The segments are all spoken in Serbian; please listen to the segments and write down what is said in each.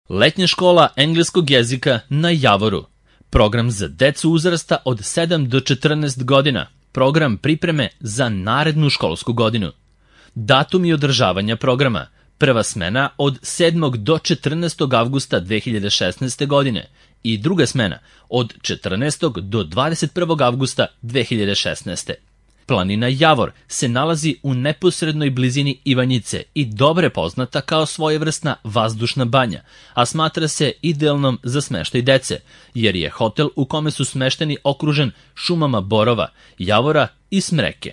Letnja škola engleskog jezika na Javoru. Program za decu uzrasta od 7 do 14 godina. Program pripreme za narednu školsku godinu. Datumi održavanja programa. Prva smena od 7. do 14. avgusta 2016. godine i druga smena od 14. do 21. avgusta 2016. Planina Javor se nalazi u neposrednoj blizini Ivanjice i dobro je poznata kao svojevrsna vazdušna banja, a smatra se idealnom za smeštaj dece, jer je hotel u kome su smešteni okružen šumama borova, javora i smreke.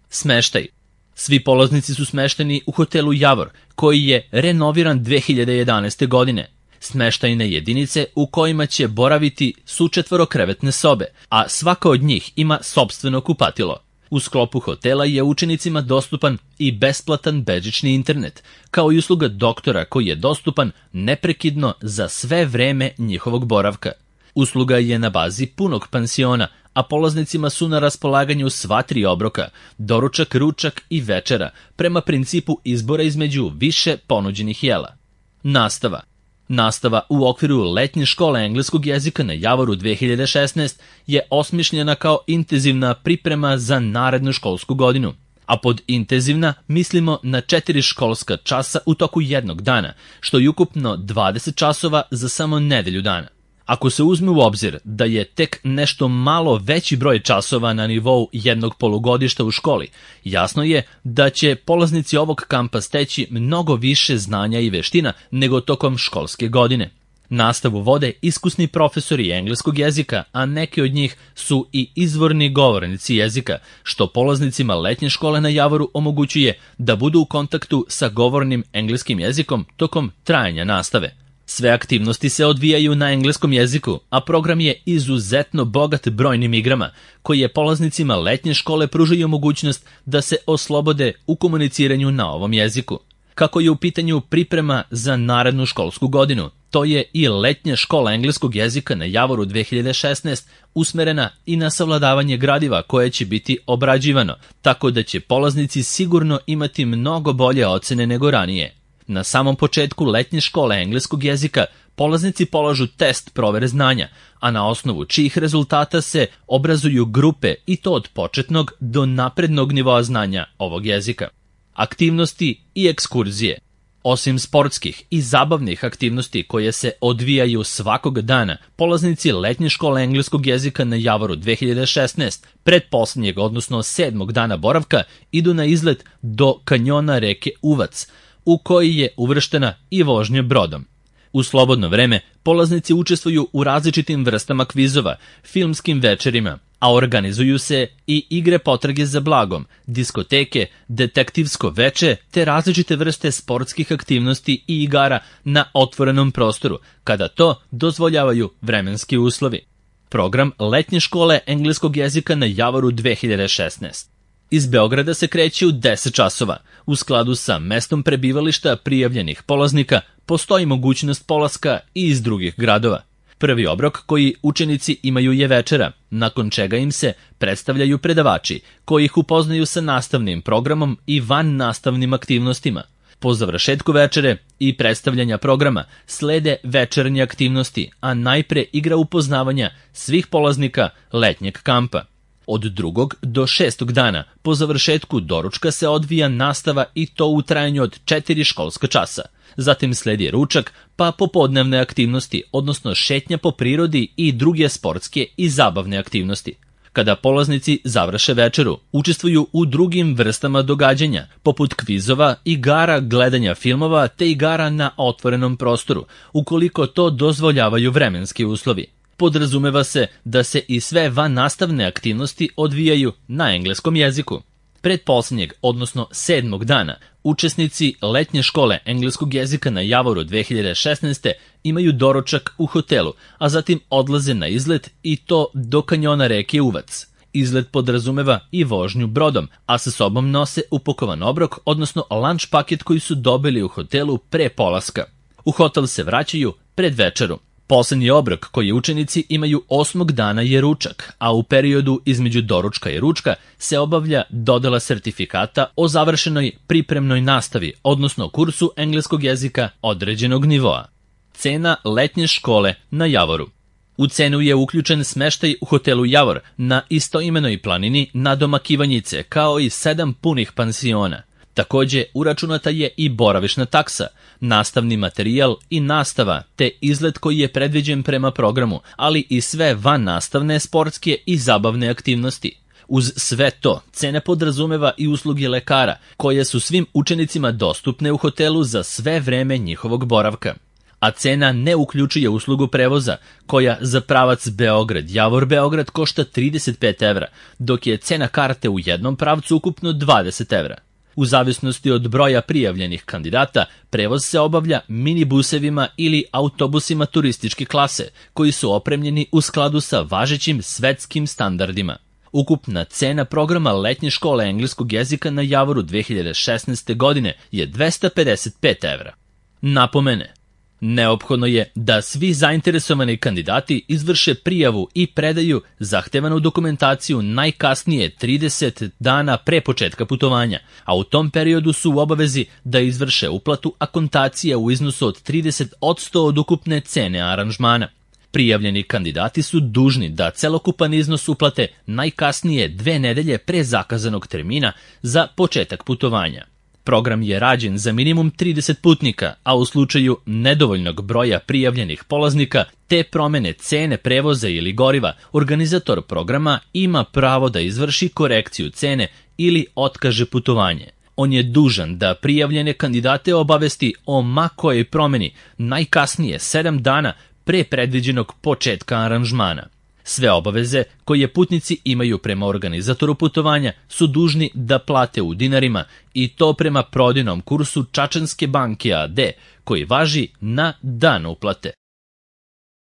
Smeštaj. Svi polaznici su smešteni u hotelu Javor, koji je renoviran 2011. godine. Smeštajne jedinice u kojima će boraviti su 4-krevetne sobe, a svaka od njih ima sopstveno kupatilo. U sklopu hotela je učenicima dostupan i besplatan bežični internet, kao i usluga doktora koji je dostupan neprekidno za sve vreme njihovog boravka. Usluga je na bazi punog pansiona, a polaznicima su na raspolaganju sva 3 obroka, doručak, ručak i večera, prema principu izbora između više ponuđenih jela. Nastava. Nastava u okviru letnje škole engleskog jezika na Javoru 2016 je osmišljena kao intenzivna priprema za narednu školsku godinu. A pod intenzivna mislimo na 4 školska časa u toku jednog dana, što je ukupno 20 časova za samo nedelju dana. Ako se uzme u obzir da je tek nešto malo veći broj časova na nivou jednog polugodišta u školi, jasno je da će polaznici ovog kampa steći mnogo više znanja i veština nego tokom školske godine. Nastavu vode iskusni profesori engleskog jezika, a neki od njih su i izvorni govornici jezika, što polaznicima letnje škole na Javoru omogućuje da budu u kontaktu sa govornim engleskim jezikom tokom trajanja nastave. Sve aktivnosti se odvijaju na engleskom jeziku, a program je izuzetno bogat brojnim igrama, koji je polaznicima letnje škole pružaju mogućnost da se oslobode u komuniciranju na ovom jeziku. Kako je u pitanju priprema za narednu školsku godinu, to je i letnja škola engleskog jezika na Javoru 2016 usmerena i na savladavanje gradiva koje će biti obrađivano, tako da će polaznici sigurno imati mnogo bolje ocene nego ranije. Na samom početku letnje škole engleskog jezika polaznici polažu test provere znanja, a na osnovu čijih rezultata se obrazuju grupe i to od početnog do naprednog nivoa znanja ovog jezika. Aktivnosti i ekskurzije. Osim sportskih i zabavnih aktivnosti koje se odvijaju svakog dana, polaznici letnje škole engleskog jezika na Javoru 2016 pretposlednjeg, odnosno 7. dana boravka, idu na izlet do kanjona reke Uvac, u koji je uvrštena i vožnja brodom. U slobodno vreme polaznici učestvuju u različitim vrstama kvizova, filmskim večerima, a organizuju se i igre potrage za blagom, diskoteke, detektivsko veče te različite vrste sportskih aktivnosti i igara na otvorenom prostoru, kada to dozvoljavaju vremenski uslovi. Program letnje škole engleskog jezika na Javoru 2016. Iz Beograda se kreće u 10 časova. U skladu sa mestom prebivališta prijavljenih polaznika postoji mogućnost polaska i iz drugih gradova. Prvi obrok koji učenici imaju je večera, nakon čega im se predstavljaju predavači, koji ih upoznaju sa nastavnim programom i van nastavnim aktivnostima. Po završetku večere i predstavljanja programa slede večernje aktivnosti, a najpre igra upoznavanja svih polaznika letnjeg kampa. Od 2. do 6. dana po završetku doručka se odvija nastava i to u trajanju od 4 školska časa. Zatim sledi ručak, pa popodnevne aktivnosti, odnosno šetnja po prirodi i druge sportske i zabavne aktivnosti. Kada polaznici završe večeru, učestvuju u drugim vrstama događanja, poput kvizova, igara, gledanja filmova te igara na otvorenom prostoru, ukoliko to dozvoljavaju vremenski uslovi. Podrazumeva se da se i sve vannastavne aktivnosti odvijaju na engleskom jeziku. Pretposlednjeg, odnosno 7. dana, učesnici letnje škole engleskog jezika na Javoru 2016. imaju doručak u hotelu, a zatim odlaze na izlet i to do kanjona reke Uvac. Izlet podrazumeva i vožnju brodom, a sa sobom nose upakovan obrok, odnosno lunch paket koji su dobili u hotelu pre polaska. U hotel se vraćaju pred večeru. Poslednji obrok koji učenici imaju 8. dana je ručak, a u periodu između doručka i ručka se obavlja dodela sertifikata o završenoj pripremnoj nastavi, odnosno kursu engleskog jezika određenog nivoa. cena letnje škole na Javoru. U cenu je uključen smeštaj u hotelu Javor na istoimenoj planini nadomakivanjice, kao i 7 punih pansiona. Takođe, uračunata je i boravišna taksa, nastavni materijal i nastava, te izlet koji je predviđen prema programu, ali i sve vannastavne sportske i zabavne aktivnosti. Uz sve to, cena podrazumeva i usluge lekara, koje su svim učenicima dostupne u hotelu za sve vreme njihovog boravka. A cena ne uključuje uslugu prevoza, koja za pravac Beograd-Javor-Beograd košta 35 evra, dok je cena karte u jednom pravcu ukupno 20 evra. U zavisnosti od broja prijavljenih kandidata, prevoz se obavlja minibusevima ili autobusima turističke klase, koji su opremljeni u skladu sa važećim svetskim standardima. Ukupna cena programa letnje škole engleskog jezika na Javoru 2016. godine je 255 evra. Napomene. Neophodno je da svi zainteresovani kandidati izvrše prijavu i predaju zahtevanu dokumentaciju najkasnije 30 dana pre početka putovanja, a u tom periodu su u obavezi da izvrše uplatu akontacije u iznosu od 30% od ukupne cene aranžmana. Prijavljeni kandidati su dužni da celokupan iznos uplate najkasnije 2 nedelje pre zakazanog termina za početak putovanja. Program je rađen za minimum 30 putnika, a u slučaju nedovoljnog broja prijavljenih polaznika te promene cene prevoza ili goriva, organizator programa ima pravo da izvrši korekciju cene ili otkaže putovanje. On je dužan da prijavljene kandidate obavesti o ma kojoj promeni najkasnije 7 dana pre predviđenog početka aranžmana. Sve obaveze koje putnici imaju prema organizatoru putovanja su dužni da plate u dinarima i to prema prodajnom kursu Čačanske banke AD, koji važi na dan uplate.